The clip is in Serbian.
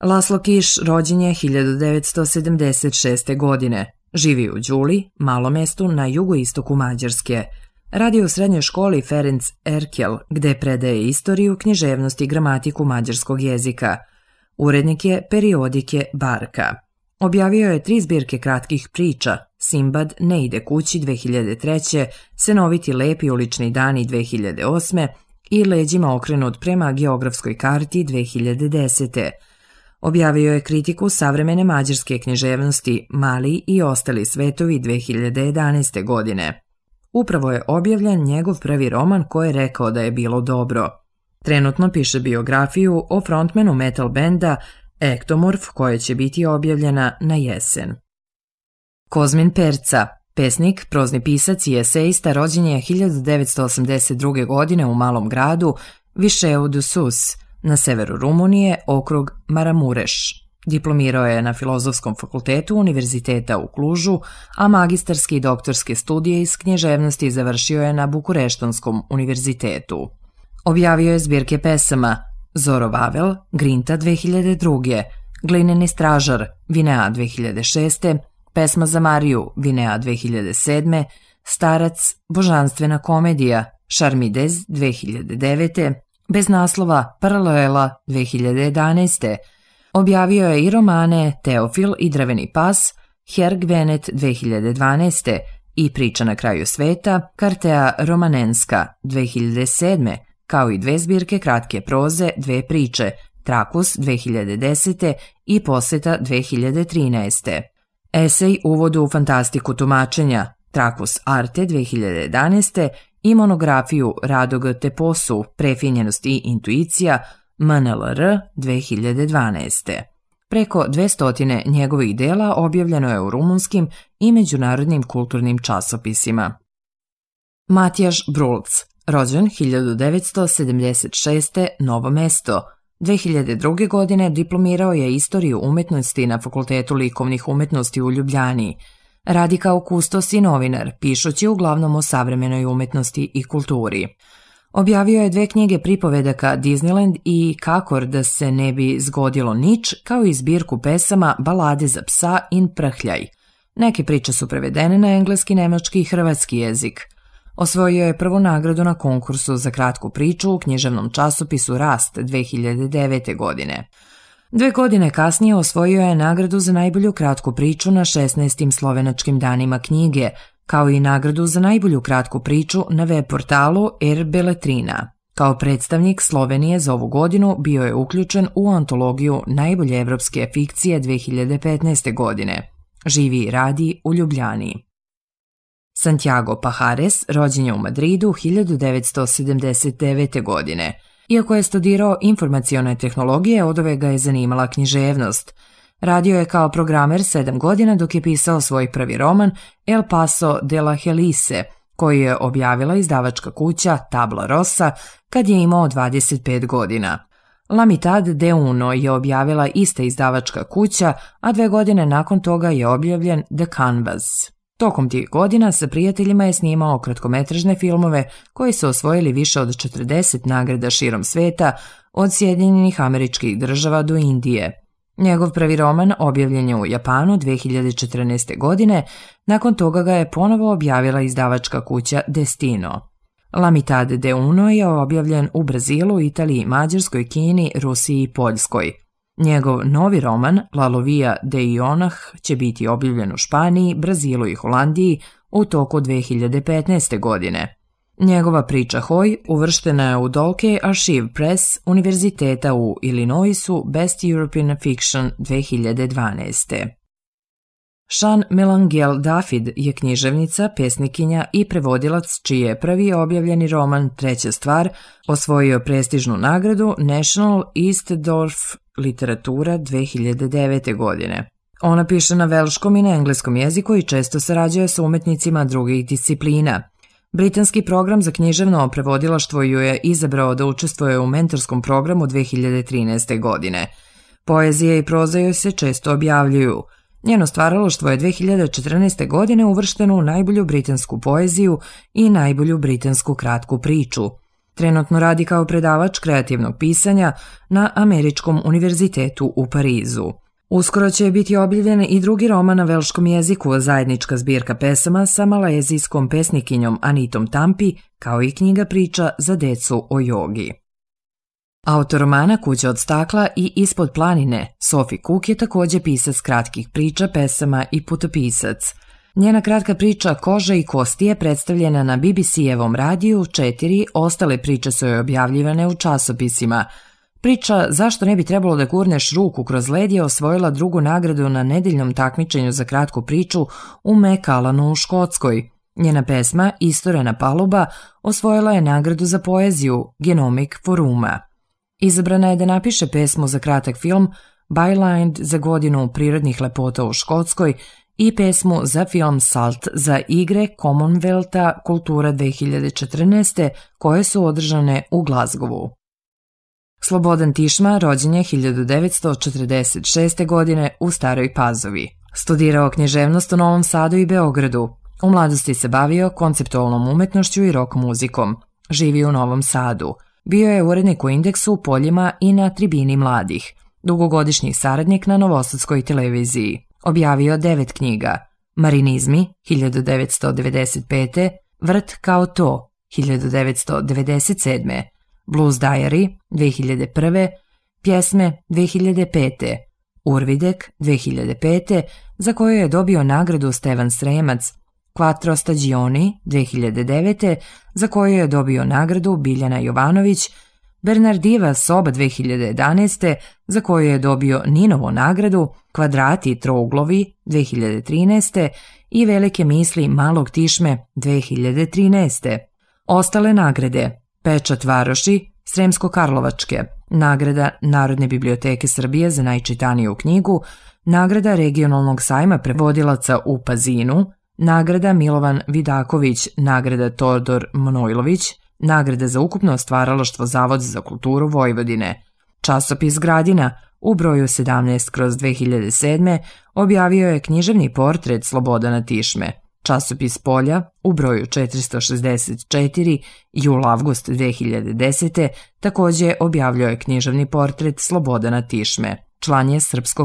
Laszlo Kiš rođen je 1976. godine. Živi u Đuli, malom mestu na jugoistoku Mađarske. Radi u srednjoj školi Ferenc Erkel, gde predaje istoriju, književnost i gramatiku mađarskog jezika. Urednik je periodike Barka. Objavio je 3 zbirke kratkih priča: Simbad ne ide kući 2003., Senoviti lepi ulični dani 2008. i Leđima okrenut prema geografskoj karti 2010. Objavio je kritiku savremene mađarske književnosti Mali i ostali svetovi 2011. godine. Upravo je objavljen njegov prvi roman koji je rekao da je bilo dobro. Trenutno piše biografiju o frontmanu metal benda Ektomorf koja će biti objavljena na jesen. Kozmin Perca, pesnik, prozni pisac i esejista, rođen je 1982. godine u malom gradu Višeu du Sus, na severu Rumunije, okrug Maramureš. Diplomirao je na Filozofskom fakultetu Univerziteta u Klužu, a magistarske i doktorske studije iz književnosti završio je na Bukureštonskom univerzitetu. Objavio je zbirke pesama Zoro Vavel, Grinta 2002., Glineni stražar, Vinea 2006., Pesma za Mariju, Vinea 2007., Starac, Božanstvena komedija, Šarmidez 2009., Bez naslova, Paralela 2011. Objavio je i romane Teofil i Drveni pas, Herg Venet 2012. i Priča na kraju sveta, Kartea Romanenska 2007., kao i 2 zbirke kratke proze, 2 priče, Trakus 2010. i Poseta 2013. Esej Uvodu u fantastiku tumačenja, Trakus Arte 2011. i monografiju Radog Teposu, Prefinjenost i intuicija, MNLR 2012. Preko 200 njegovih dela objavljeno je u rumunskim i međunarodnim kulturnim časopisima. Matjaž Brulc, rođen 1976. Novo mesto. 2002. godine diplomirao je istoriju umetnosti na Fakultetu likovnih umetnosti u Ljubljani. Radi kao kustos i novinar, pišući uglavnom o savremenoj umetnosti i kulturi. Objavio je 2 knjige pripovedaka Disneyland i Kakor da se ne bi zgodilo nič, kao i zbirku pesama Balade za psa in Prhljaj. Neke priče su prevedene na engleski, nemački i hrvatski jezik. Osvojio je prvu nagradu na konkursu za kratku priču u književnom časopisu Rast 2009. godine. 2 godine kasnije osvojio je nagradu za najbolju kratku priču na 16. slovenačkim danima knjige, kao i nagradu za najbolju kratku priču na web portalu Beletrina. Kao predstavnik Slovenije za ovu godinu bio je uključen u antologiju najbolje evropske fikcije 2015. godine. Živi i radi u Ljubljani. Santiago Pajares rođen je u Madridu 1979. godine. Iako je studirao informacione tehnologije, odove ga je zanimala književnost. Radio je kao programer 7 godina dok je pisao svoj prvi roman El Paso de la Helise, koji je objavila izdavačka kuća Tabla Rosa kad je imao 25 godina. La mitad de uno je objavila ista izdavačka kuća, a 2 godine nakon toga je objavljen The Canvas. Tokom tih godina sa prijateljima je snimao kratkometražne filmove koji su osvojili više od 40 nagrada širom sveta, od Sjedinjenih Američkih Država do Indije. Njegov prvi roman objavljen je u Japanu 2014. godine, nakon toga ga je ponovo objavila izdavačka kuća Destino. La mitad de uno je objavljen u Brazilu, Italiji, Mađarskoj, Kini, Rusiji i Poljskoj. Njegov novi roman La Lovia de Ionah će biti objavljen u Španiji, Brazilu i Holandiji u toku 2015. godine. Njegova priča Hoj uvrštena je u Dolke Archive Press Univerziteta u Illinoisu Best European Fiction 2012. Jean Melangel Dafid je književnica, pesnikinja i prevodilac čiji je prvi objavljeni roman Treća stvar osvojio prestižnu nagradu National Eastdorf literatura 2009. godine. Ona piše na velškom i na engleskom jeziku i često sarađuje sa umetnicima drugih disciplina. Britanski program za književno prevodilaštvo ju je izabrao da učestvuje u mentorskom programu 2013. godine. Poezija i proza joj se često objavljuju. Njeno stvaralaštvo je 2014. godine uvršteno u najbolju britansku poeziju i najbolju britansku kratku priču. Trenutno radi kao predavač kreativnog pisanja na Američkom univerzitetu u Parizu. Uskoro će biti objavljen i drugi roman na velškom jeziku, zajednička zbirka pesama sa malezijskom pesnikinjom Anitom Tampi, kao i knjiga priča za decu o jogi. Autor romana Kuća od stakla i Ispod planine, Sophie Cook je također pisac kratkih priča, pesama i putopisac. Njena kratka priča Koža i kosti je predstavljena na BBC-evom radiju, 4 ostale priče su joj objavljivane u časopisima. Priča Zašto ne bi trebalo da gurneš ruku kroz led je osvojila drugu nagradu na nedeljnom takmičenju za kratku priču u Macallanu u Škotskoj. Njena pesma Istorena paluba osvojila je nagradu za poeziju Genomic foruma. Izabrana je da napiše pesmu za kratak film Byline za godinu prirodnih lepota u Škotskoj i pesmu za film Salt za igre Commonwealtha Kultura 2014. koje su održane u Glasgowu. Slobodan Tišma rođen je 1946. godine u Staroj Pazovi. Studirao književnost u Novom Sadu i Beogradu. U mladosti se bavio konceptualnom umetnošću i rock muzikom. Živi u Novom Sadu. Bio je urednik u Indeksu, u Poljima i na Tribini mladih. Dugogodišnji saradnik na Novosadskoj televiziji. Objavio 9 knjiga. Marinizmi 1995. Vrt kao to 1997. Blues Diary 2001. Pjesme 2005. Urvidek 2005. za koju je dobio nagradu Stevan Sremac. Quattro Stagioni 2009. za koju je dobio nagradu Biljana Jovanović. Bernardiva soba 2011. za koju je dobio Ninovu nagradu, Kvadrati i trouglovi 2013. i Velike misli malog Tišme 2013. Ostale nagrade: Pečat Varoši, Sremsko-Karlovačke, nagrada Narodne biblioteke Srbije za najčitaniju knjigu, nagrada Regionalnog sajma prevodilaca u Pazinu, nagrada Milovan Vidaković, nagrada Todor Manojlović, nagrada za ukupno stvaralaštvo Zavod za kulturu Vojvodine. Časopis Gradina u broju 17/2007 objavio je književni portret Slobodana Tišme. Časopis Polja u broju 464 jul-avgust 2010. također objavljio je književni portret Slobodana Tišme. Član je Srpskog